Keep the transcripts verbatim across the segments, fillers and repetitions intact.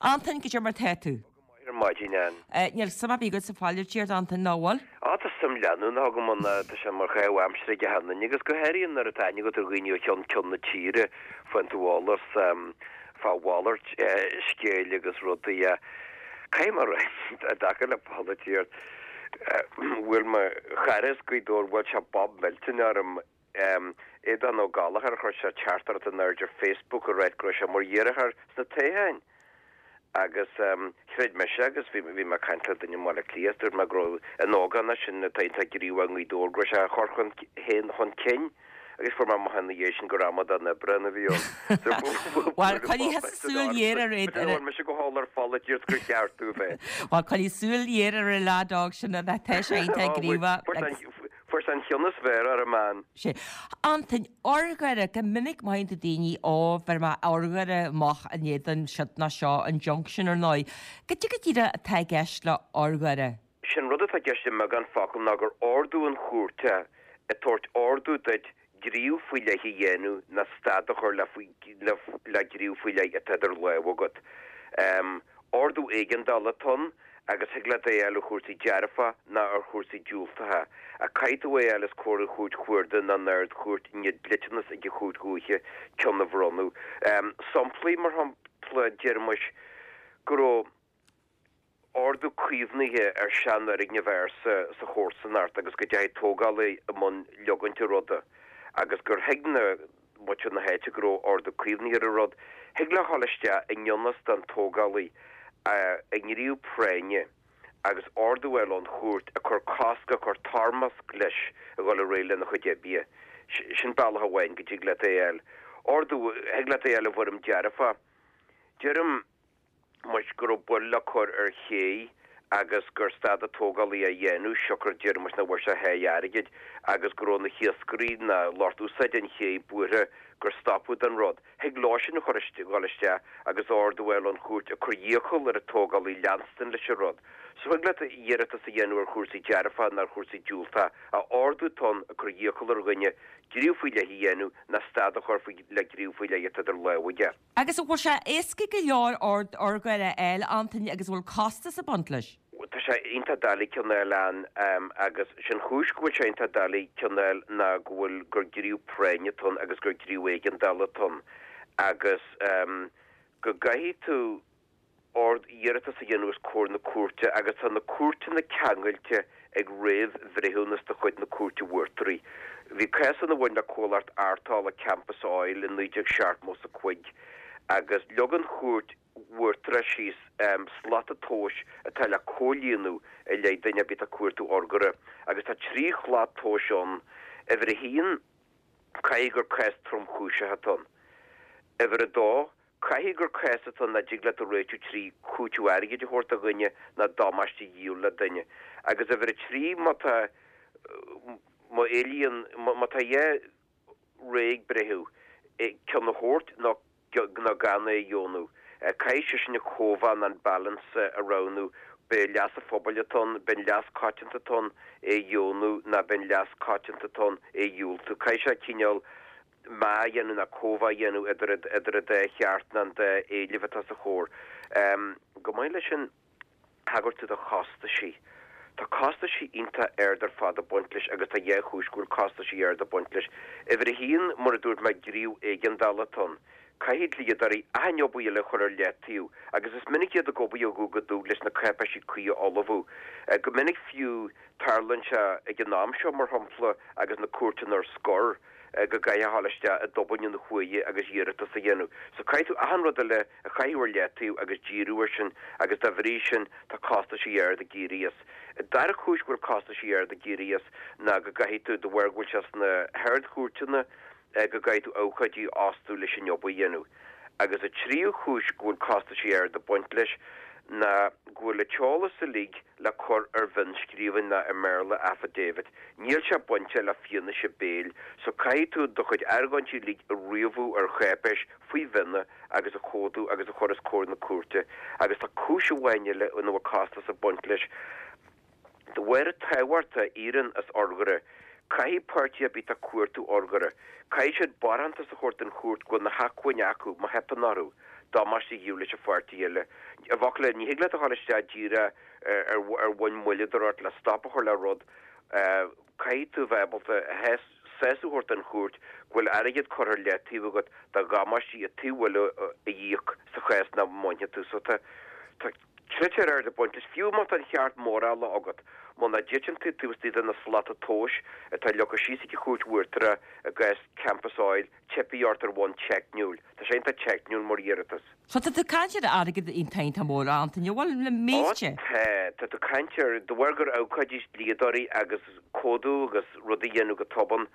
Antain, goidé mar tá tú? Ar maidin, Ann. Níl suim ar bith agat sa pholaitíocht, Antain, ná bhfuil? Á, tá suim leanúnach agam ann, tá sé mar chaitheamh aimsire ag achan duine, agus go háirithe nuair atá aithne agat ar dhaoine ó cheann ceann na tíre, faigheann tú eolas fá mhalairt scéil agus rudaí. Caithfidh mé a rá, i dtaca le polaitíocht, bhuail mo chara as Gaoth Dobhair, bhuail sé bob millteanach orm, Aodán Ó Gallchóir, chuir sé teachtaireacht in airde ar Facebook ag ráit go raibh sé mar iarrthóir sna toghcháin. Agus chreid mise, agus bhí bhí mé ag caint le duine i mBaile Átha Cliath, dúirt mé go raibh an ógánach sin atá iontach gníomhach i nGaoth Dobhair, go raibh sé á chur chun féin chun cinn agus fuair mé amach ina dhiaidh sin gur amadán oibre a bhí ann. Bhuel, coinnigh súil ghéar ar é. Bhfuil mise go heol ar pholaitíocht gur cheart tú bheith. Bhuel, coinnigh súil ghéar ar an leaid óg sin a bheith tá sé iontach gníomhach. Fuair sé an cheann is fearr orm, Ann. Sea. Antain, urghaire, go minic mothaíonn tú daoine, ó, bheir mé urghaire amach in éadan siod ná seo, injunction ar ndóigh. Goidé go díreach atá i gceist le urghaire? Sé'n rud atá i gceist i mbeagán focal ná gur ordú ón chúirt é, ag tabhairt ordú duit gníomh faoi leith a dhéanamh ná stad a chur le le gníomh faoi leith atá idir lámha agat. Ordú éigeandála atá ann agus thig leat é a fháil ar chúrsaí dearfacha ná ar chúrsaí diúltacha. Ach caithfidh tú é a fháil os comhair an Chúirt Chuarda ná an Ard-Chúirt i ndiaidh dliteanas ag an Chúirt Dhúiche ceann a bhronnadh. Samplaí, mar shampla, déarfaimis go raibh ordú caomhnaithe ar seanfhoirgneamh ársa sa chomharsanacht agus go dteachaigh tógálaí i mbun leogaint an ruda agus gur thuig na muintir na háite go raibh ordú caomhnaithe ar an rud, thig leo a ghabháil isteach i ngan fhios don tógálaí i ngníomh práinne agus ordú a fháil ón chúirt ag cur cosc, ag cur toirmeasc leis a dhul ar aghaidh lena chuid oibre. Sin bealach amháin go dtig leat é a fháil. Ordú, thig leat é a fháil i bhfoirm dearfach. Deirim. muis go raibh buille le cur ar ché agus gur stad an tógálaí á dhéanamh siocair deir muis nach bhfuair sé a sháith airgid agus go raibh na hiascairí ná lucht úsáide an ché buartha gur stopadh den rud. Thig leo sin a chur dhul isteach agus ordú a fháil ón chúirt ag cur iachall ar an tógálaí leanstan leis an rud. So thig leat iarratas a dhéanamh ar chúrsaí dearfacha ná ar chúrsaí diúltacha ach ordú atá ann ag cur iachall ar dhuine gníomh faoi leith a dhéanamh ná stad a chur faoi le gníomh faoi leith atá idir lámha aige. Agus an bhfuil sé éasca go leor ord urghaire a fháil, Antaine, agus an bhfuil costas ag baint leis? Tá sé iontach doiligh ceann a fháil, Ann, agus sé'n chúis go bhfuil sé iontach doiligh ceann a fháil ná go bhfuil, gur gníomh práinne atá ann agus gur gníomh éigeandála atá ann agus go gcaithfidh tú, ord iarratas a dhéanamh os comhair na cúirte agus tá na cúirteanna ceangailte ag réamh-bhreithiúnas de chuid na Cúirte Uachtaraí. Bhí cás ann a bhain le comhlacht arrtála Campus Oil i naoi déag seachtó is a cúig agus leag an Chúirt Uachtarach síos slata tomhais atá le comhlíonadh i leith duine ar bith atá ag cuartú urghaire agus tá trí shlat tomhais ann, uimhir a haon, caithfidh gur cás tromchúiseach atá ann, uimhir a dó, Caithfidh gur cás atá ann nach dtig leat a réiteach trí chúiteamh airgid a thabhairt do dhuine ná damáiste a dhíol le duine. Agus uimhir a trí, má tá, má éilíonn, má tá dhá rogha ag breitheamh, ceann a thabhairt nó nó gan é a dheonú, caithfidh seisean an cóimheá nó an balance a roghnú, b'é leas an phobail atá ann, b'é an leas coitianta atá ann é a dheonú ná b'é an leas coitianta atá ann é a dhiúltú. Caithfidh sé cineál. meá a dhéanamh ná cóimheá a dhéanamh idir idir an dá cheart ná an dá éileamh atá sa chomhar. Chomh maith leis sin, thagair tú do chostaisí. Tá costaisí iontach ard ar fad ag baint leis agus tá dhá chúis go bhfuil costaisí ard ag baint leis. Uimhir a haon, mar a dúirt mé, gníomh éigeandála atá ann. Caithfidh dlíodóirí achan obair eile a chur ar leataobh agus is minic iad ag obair ó dhubh go dubh leis na cáipéisí cuí a ullmhú. Go minic fiú, tarlaíonn sé ag an am seo, mar shampla, agus na cúirteanna ar scor, go gcaithfeá a ghabháil isteach i dtobainn an chuaille agus iarratas a dhéanamh. So caithfidh tú achan rud eile a chaitheamh ar leataobh agus díriú air sin agus dá bhrí sin tá costaisí ard ag éirí as. An dara cúis go bhfuil costaisí ard ag éirí as ná go gcaithfidh tú, de bharr go bhfuil sé sna hArd-Chúirteanna, go gcaithfidh tú abhcóidí a fhostú leis an obair a dhéanamh. Agus an tríú cúis go bhfuil costaisí ard ag baint leis ná go bhfuil an t-eolas uilig le cur ar mhionnscríbhinn ná i mBéarla affidavit. Níl sé bainteach le fianaise béil so caithfidh tú do chuid argóintí uilig a ríomhú ar cháipéis faoi mhionn agus a chomhdú agus a chur os comhair na cúirte. Agus tá cúis amháin eile ina bhfuil costas ag baint leis. De bharr an tábhacht a éiríonn as urghaire, caithfidh páirtí ar bith atá ag cuartú urghaire, caithfidh siad barántas a thabhairt don chúirt go bhfuil na hacmhainní acu má theipeann orthu. damáiste a dhíol leis an pháirtí eile. I bhfocal eile, ní thig leat a dhul isteach díreach ar ar bhonn moilleadóireacht le stop a chur le rud. Caithfidh tú bheith ábalta sásamh a thabhairt don chúirt go bhfuil airgead curtha ar leataobh agat do dhamáistí an taobh eile a íoc sa chás nach mbainfidh tú. So tá tá critéir ard ag baint leis. Fiú má tá an cheart mórála agat, muna dtiteann tú taobh istigh de na slata tomhais atá leagtha síos ag an Chúirt Uachtarach i gcás Campus Oil, teipfidh ort ar bhonn teicniúil. Tá sé iontach teicniúil mar iarratas. So tá tú ag caint ar airgead iontach iontach mór, a Antaine, bhuel, le mílte. Ó tá, tá tú ag caint ar, de bharr gur abhcóidí is dlíodóirí agus comhdú agus rudaí a dhéanamh go tobann,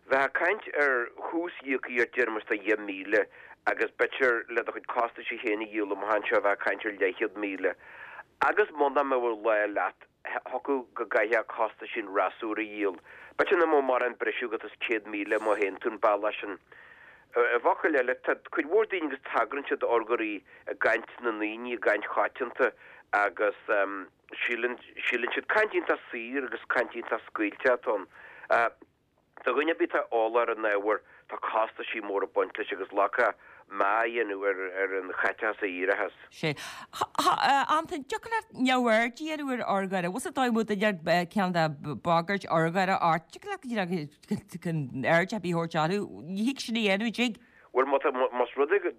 bheifeá ag caint ar thús íoctha ort déarfaimis de dheich míle agus b'fhéidir le do chuid costaisí féin a dhíol amach anseo bheifeá ag caint ar leathchéad míle. Agus muna mbeadh lá leat, thiocfadh go gcaithfeá costaisí an fhreasúra a dhíol. B'fhéidir nach mbeadh mórán briseadh agat as céad míle má théann tú an bealach sin. I bhfocail eile, tá cuid mhór daoine agus tagrann siad d'urghairí i gcaint na ndaoine, i gcaint choitianta agus síleann síleann siad caint iontach saor agus caint iontach scaoilte atá ann. Do dhuine ar bith atá eolach ar an ábhar, tá costaisí móra ag baint leis agus leagtha meá a dhéanamh ar ar an chaiteachas a éireochas. Sé. A Antain, dtiocfadh leat neamhaird a dhéanamh ar urghaire? Bhfuil sa dóigh muid duine ceann de bagairt urghaire ort, dtiocfadh leat go díreach gan aird ar bith a thabhairt orthu? Ní thig sin a dhéanamh, an dtig? Bhuel, má tá, más rud é go,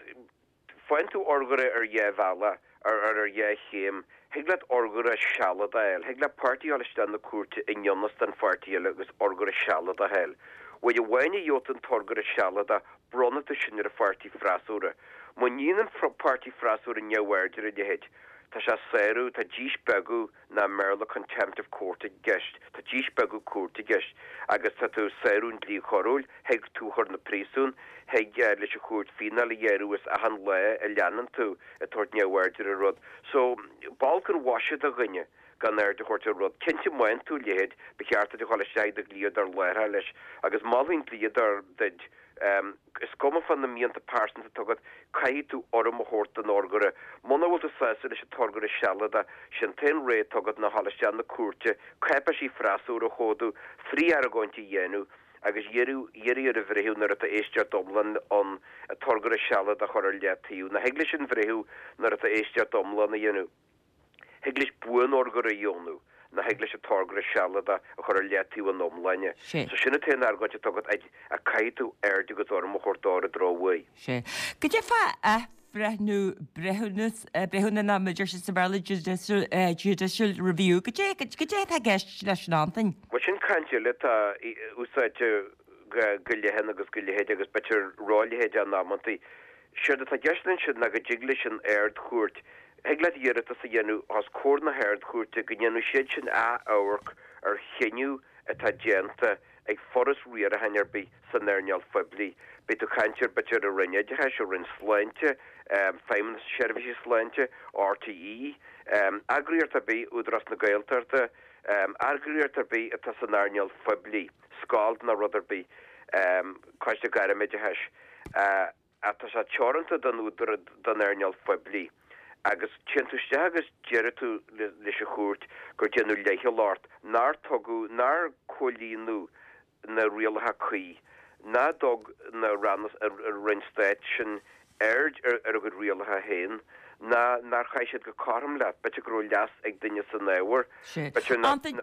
faigheann tú urghaire ar dhá bhealach, ar ar dhá chéim. Thig leat urghaire sealadach a fháil. Thig le páirtí a dhul isteach na cúirte i ngan fhios don pháirtí eile agus urghaire sealadach a fháil. Uair amháin a gheobhaidh tú an t-urghaire sealadach, bronnfaidh tú sin ar an pháirtí freasúra. Má níonn an páirtí freasúra neamhaird ar a leithéid, tá sé ag sárú, tá díspeagadh nó i mBéarla contempt of court i gceist, tá díspeagadh cúirte i gceist agus tá tú ag sárú an dlí choiriúil, thig tú a chur 'na príosún, thig leis an chúirt fíneáil a ghearradh as achan lá a leanann tú ag tabhairt neamhaird ar an rud. So, b'olc an mhaise do dhuine gan aird a thabhairt ar rud. Cinnte má fhaigheann tú a leithéid, ba cheart duit a dhul isteach ag do dhlíodóir láithreach leis agus molfaidh an dlíodóir duit, Is cuma fá na mianta pearsanta atá agat, caithfidh tú urraim a thabhairt don urghaire. Muna bhfuil tú sásta leis an t-urghaire sealadach, sé'n t-aon rogha atá agat ná dhul isteach na cúirte, cáipéisí freasúra a chomhdú, frith-argóint a dhéanamh agus iarraidh ar an bhreitheamh nuair atá éisteacht iomlán ann an t-urghaire sealadach a chur ar leataobh. Ná thig leis an bhreitheamh nuair atá éisteacht iomlán a dhéanamh. Thig leis buan-urghaire a dheonú, ná thig leis an t-urghaire sealadach a chur ar leataobh ina iomláine. Sé. So sin an t-aon argóint atá agat, ach caithfidh tú aird agus urraim a thabhairt dó ar an drochuair. Sé. Goidé fá athbhreithniú breithiúnas, breithiúna ná mar a deir siad sa Bhéarla judicial, judicial review, goidé, goidé atá i gceist leis sin, a Antain? Bhuel sin caint eile atá úsáidte go leathan agus go leithéid agus b'fhéidir ró-leithéid in amantaí. Séard atá i gceist ansin ná go dtig leis an Ard-Chúirt, thig leat iarratas a dhéanamh os comhair na hArd-Chúirte go ndéanfaidh siad sin ath-amharc ar chinneadh atá déanta ag foras riaracháin ar bith san earnáil phoiblí. Beidh tú ag caint ar b'fhéidir an Roinn Oideachais, an Roinn Sláinte, Feidhmeannas na Seirbhíse Sláinte, RTÉ, eagraíocht ar bith, Údarás na Gaeltachta, eagraíocht ar bith atá san earnáil phoiblí, scoil nó rud ar bith, Coiste Gairmoideachais. Ach tá sé teoranta don údar don earnáil phoiblí. Agus téann tú isteach agus deireann tú leis an chúirt gur déanadh leithcheal ort, nár tugadh, nár comhlíonadh na rialacha cuí, ná dtug na ranna, an Roinn Stáit sin aird ar a gcuid rialacha féin, ná nár chaith siad go cothrom leat. B'fhéidir go raibh leas ag duine san ábhar. Sea. B'fhéidir nach. Antain,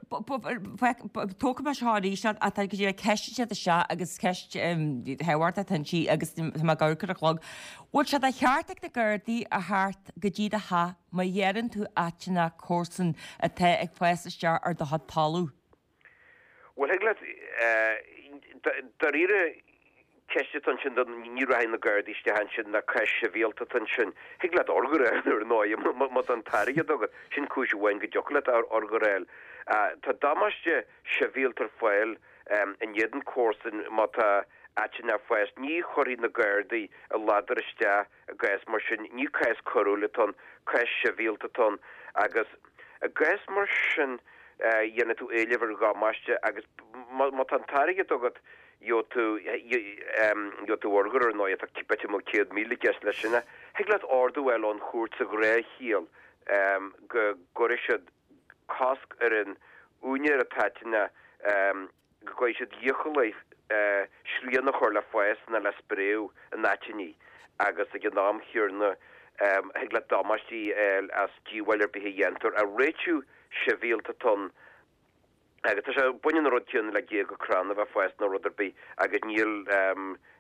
tógfaidh mé seo arís ach tá go dtí ceist siad isteach agus ceist thábhachtach atá inti agus tá mé ag amharc ar an chlog. Bhfuil sé de cheart ag na Gardaí a theacht go dtí do theach má ghearrann tú aiteannach comharsan atá ag fás isteach ar do chuid talamh? Bhuel, thig leat, dáiríre, ceist atá ansin do ní rachaidh na Gardaí isteach ansin ná cás sibhialta atá ansin. Thig leat urghaire a fháil ar ndóigh má tá an t-airgead agat. Sin cúis amháin go dtiocfadh leat urghaire a fháil. Tá damáiste sibhialta ar fáil in éadan comharsan má tá aiteann ag fás. Ní chuirfidh na Gardaí a ladar isteach i gcás mar sin. Ní cás coiriúil atá ann, cás sibhialta atá ann agus i gcás mar sin dhéanfaidh tú éileamh ar dhamáiste agus má tá an t-airgead agat gheobhaidh tú gheobhaidh tú urghaire ar ndóigh tá b'fhéidir go mbeadh céad míle i gceist leis sin. Thig leat ordú a fháil ón chúirt sa ghnáthchiall go gcuirfidh siad cosc ar an úinéir an t-aiteannach go gcaithfidh siad iachall srian a chur le fás ná le spréadh an aitinní agus ag an am chéanna Thig leat damáistí a fháil as díobháil ar bith a dhéantar. Ach réitiú sibhialta atá ann agus tá sé, baineann an rud céanna le géaga crann a bheith ag fás nó rud ar bith agus níl,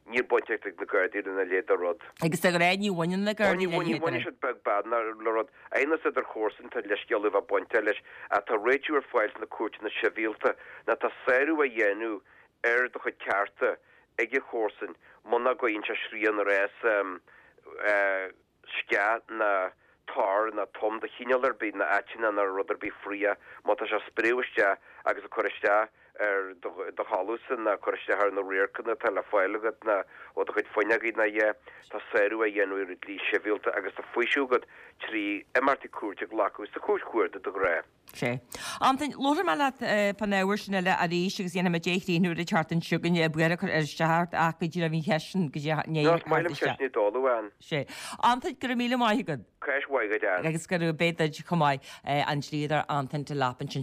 níl baint ag na Gardaí lena leithéid de rud. Agus de ghnáth ní bhaineann na Gardaí lena leithéid de rud. Ní bhaineann siad beag beann le rud. Aighneas idir chomharsain tá leithscéal a bheith bainte leis ach tá réitiú ar fáil sna cúirteanna sibhialta nó tá sárú á dhéanamh ar do chuid cearta ag an chomharsain muna gcuireann sé srian ar fhás sceach ná tor ná tom de chineál ar bith ná aiteanna ná rud ar bith fraoch má tá sé ag spréadh isteach agus ag cur isteach ar do thalamhsa ná cur isteach ar na radharcanna atá le fáil agat ná ó do chuid fuinneogaí ná a dhath. Tá sárú á dhéanamh ar an dlí sibhialta agus tá faoiseamh agat trí imeachtaí cúirte a ghlacadh sa chúirt chuarda de ghnáth. Sea. Antain, labharfaidh mé leat fán ábhar sin eile arís agus dhéanfaidh muid é a chríochnú ar an tseachtain seo chugainn. Buíochas a chur ar isteach ort ach go dtí bhí an cheist sin go dtí No, is maith liom ceisteanna d'fhoghlaim, Ann. Sea. Antain, go raibh míle maith agat. Cás mhaith agat, Ann. Agus go raibh beidh duit chomh maith, an dlíodóir Antain Delap ansin.